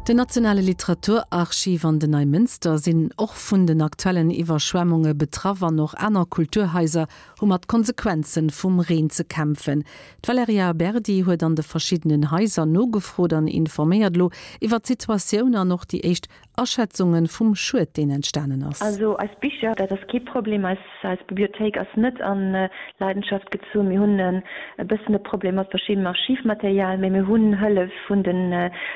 Den nationale Literaturarchiv an den Neimënster sinn och vun den aktuellen Iwwerschwemmunge betraff an och aner Kulturhaiser hu mat Konsequenze vum Reen ze kämpfen. D'Valerija Berdi huet an de verschiddenen Haiser nogefrot an informéiert elo iwwer d'Situatioun an och déi éischt Aschätzunge vum Schued, deen entstanen ass. Also eis Bicher, dat ass kee Problem. Eis Bibliothéik ass net a Leidenschaft gezunn. Mir hunn e bëssen e Problem mat verschiddenem Archivmaterial, mee mir hunn Hëllef vun den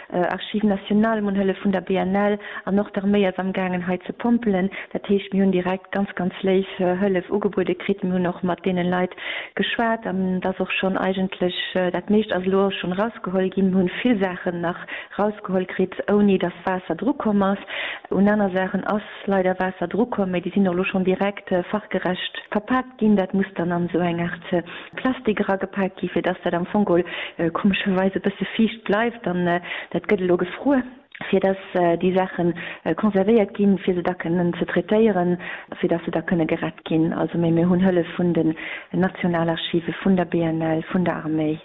Archives nationales, mir hunn Hëllef vun der BNL an och d'Arméi ass amgaangen hei ze pompelen. Dat heescht, mir hunn direkt ganz, ganz léif Hëllef ugebuede kritt. Mir hunn och mat deene Leit geschwat an et ass och schonn eigentlech, dat meescht ass elo och schonn erausgeholl ginn. Mir hunn vill Saachen nach rausgeholl kritt, ouni dass Waasser drukomm ass. Un aner Saachen ass leider Waasser drukomm, mee déi sinn och elo schonn direkt fachgerecht verpaakt ginn. Dat muss dann an esou eng Aart Plastik eragepaakt gi fir dass dat am Fong geholl komescherweis e bësse fiicht bleift. An dat gëtt elo gefruer, fir dass déi Saache konservéiert ginn, fir se da kënnen ze traitéieren, fir dass se da kënne gerett ginn. Also, mee mir hunn Hëllef vun den Nationalarchive, vun der BNL, vun der Arméi.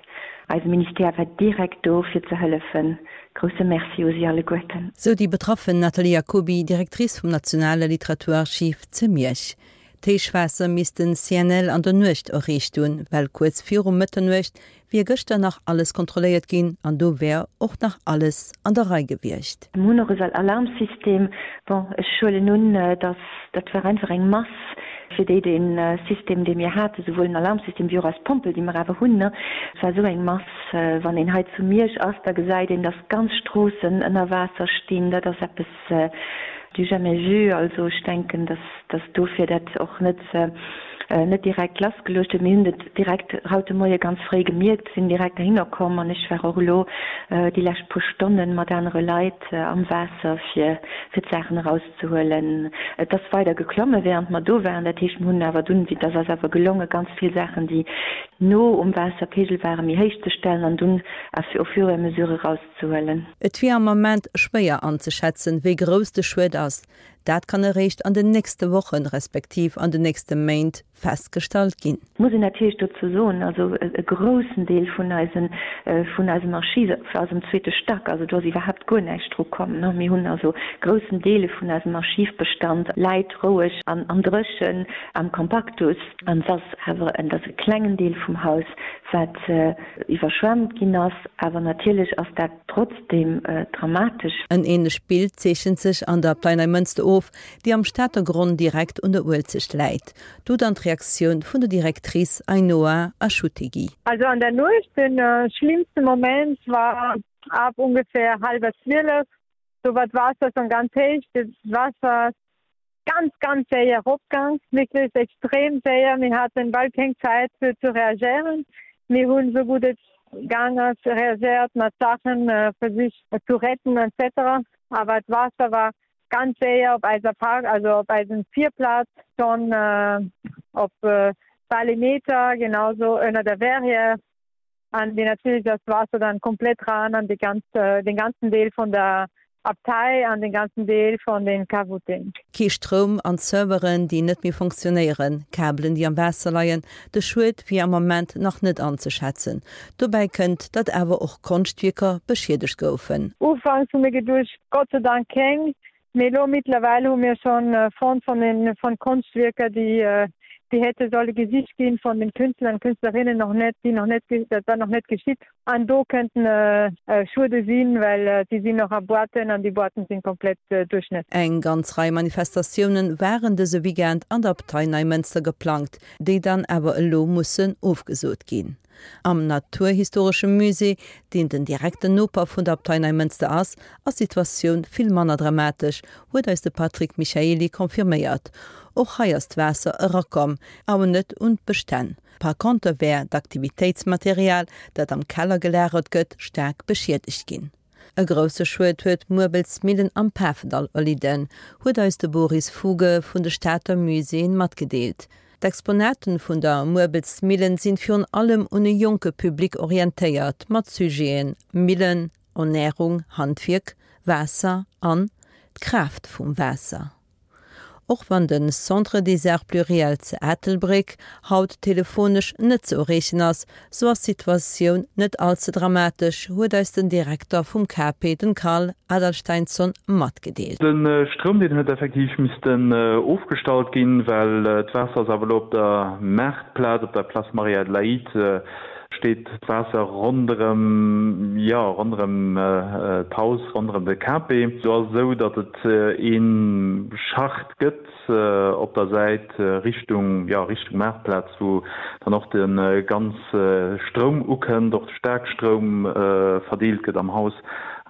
Eise Ministère war direkt do fir ze hëllefen. Grousse Merci u si alleguerten. Sou déi betraffen Nathalie Jacoby, Directrice vum Nationale Literaturarchiv ze Miersch. D'Héichwaasser misst den CNL an der Nuecht erreecht hunn, well kuerz viru Mëtternuecht wier gëschter nach alles kontrolléiert ginn an do wär och nach alles an der Rei gewiescht. Mir hunn och e Alarmsystem. Bon, ech huelen un, dass dat war einfach eng Mass. Fir déi dee System, dee mir haten, souwuel den Alarmsystem wéi och eis Pompel, déi mir awer hunn, et war esou eng Mass. Wann een hei zu Miersch ass, da gesäit een, dass ganz Stroossen ënner Waasser stinn. Dat ass eppes du jamais vu. Also ech denken, dass dass dofir dat och net net direkt lassgeluecht huet. Mir hunn et direkt haut de Moie ganz fréi gemierkt, sinn direkt heihinner komm an ech war och elo déi lescht puer Stonne mat anere Leit am Waasser, fir fir d'Saachen eraus ze huelen. Et ass weider geklomme während mer do waren. Dat heescht, mer hunn awer dunn, et ass eis awer gelonge ganz vill Saachen, déi no um Waasserpegel waren, méi héich ze stellen an dunn au fur et à mesure erauszehuelen. Et wier am Ament schwéier anzeschätzen, wéi grouss de Schued ass. Dat kann eréischt an den nächste Wochen, respektiv an den nächste Méint festgestallt ginn. Muss een natierlech dozou soen, also e groussen Deel vun eisen, vun eisem Archiv ass am zweete Stack, also do ass iwwerhaapt guer näischt dru komm. Mir hunn also groussen Deel vun eisem Archivbestand läit roueg an an dréchen am Compactus. An et ass awer, et ass e klengen Deel vum Haus, wat iwwerschwemmt ginn ass, awer natierlech ass dat trotzdeem dramatesch. En änlecht Bild zeechent sech an der Abtei Neimënster of, déi am Stater Gronn direkt un der Uelzecht läit. Do dann d'Reaktioun vun der Directrice Ainhoa Achutegui. Also an der Nuecht, den schlimmste Moment war ab ungefähr halber 12, do war d'Waasser schon ganz héich, d'Waasser ganz ganz séier eropgaang, wierklech extrem séier. Mir haten bal keng Zäit fir ze reagéieren. Mir hunn esou gutt et gaang ass reagéiert mat Saachen versicht zu retten etc. Awer d'Waasser war ganz séier op eiser Park, also op eisem Virplaz schonn op bal ee Meter, genauso ënner der Verrière. An déi natierlech ass d'Waasser dann komplett ran an déi ganz, den ganzen Deel vun der Abtei an den ganzen Deel vun den Cavuten. Kee Stroum an Serveren, déi net méi funktionéieren, Kabelen, déi am Waasser leien, de Schued wier am Ament nach net anzeschätzen. Dobäi kënnt, datt awer och Konschtwierker beschiedegt goufen. Ufanks hu mir geduecht, Gott sei Dank keng, Mee elo mittlerweile hu mir schon fonnt von den von Konschtwierker, déi déi hätte solle gesicht ginn von den Künstler an Künstlerinnen noch net, déi noch net dat war noch net geschitt. An do kënnten Schuede sinn, well déi sinn noch a Boîten an déi Boîten sinn komplett duerchnässt. Eng ganz Rei Manifestatiounen waren dëse Weekend an der Abtei Neimënster geplangt, déi dann awer elo mussen ofgesot ginn. Am Naturhistoresche Musée, deen den direkten Noper vun der Abtei Neimënster ass, ass d'Situatioun vill manner dramatesch, huet eis de Patrick Michaely confirméiert. Och hei ass d'Waasser erakomm, awer net un d'Bestänn. Par konter wär d'Aktivitéitsmaterial, dat am Keller gelagert gëtt, staark beschiedegt ginn. E grousse Schued huet d'Muerbelsmillen am Pafendall erlidden, huet eis de Boris Fuge vun de Stater Muséeën matgedeelt. D'Exponaten vun der Muerbelsmillen sinn virun allem un e jonke Public orientéiert, mat Sujeten Millen, Ernärung, Handwierk, Waasser an d'Kraaft vum Waasser. Och wann de Centre des Arts Pluriels zu Ettelbréck haut telefonesch net ze erreechen ass, sou ass d'Situatioun net all ze dramatesch, huet eis den Direkter vum KP, den Karl Adalsteinsson, matgedeelt. De Stroum deen huet effektiv missten ofgestallt ginn, well d'Waasser ass awer elo op der Maartplaz, op der Place Marie-Adelaïde steet d'Waasser ronderëm, jo ronderëm d'Haus, ronderëm de KP. Do ass et esou, datt et ee Schacht gëtt op der Säit Richtung, jo Richtung Maartplaz, wou dann och de ganz Stroum ukënnt, och de Staarkstroum verdeelt gëtt am Haus.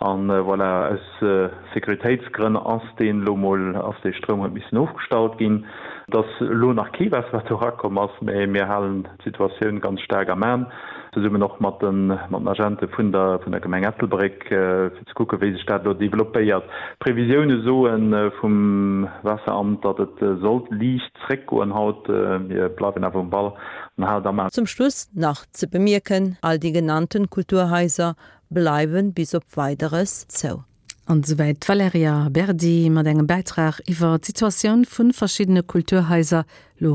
An voilà, aus Sécuritéitsgrënn ass deen elo mol, ass dee Stroum huet missen ofgestallt ginn. Et ass elo nach kee Waasser wat do erakomm ass, mä mir halen d'Situatioun ganz staark am An, zesummen och mat den Agente vun der vun der Gemeng Ettelbréck, fir ze kucken, wéi sech dat elo developpéiert. D'Previsioune soe vum Waasseramt, datt et sollt liicht zréckgoen haut. Mir bleiwen awer um Ball an halen et am An. Zum Schluss nach ze bemierken, All déi genannten Kulturhaiser bleiwen bis op Weideres zou. An esouwäit d'Valerija Berdi mat engem Bäitrag iwwer d'Situatioun vu verschiddene Kulturhaiser lo.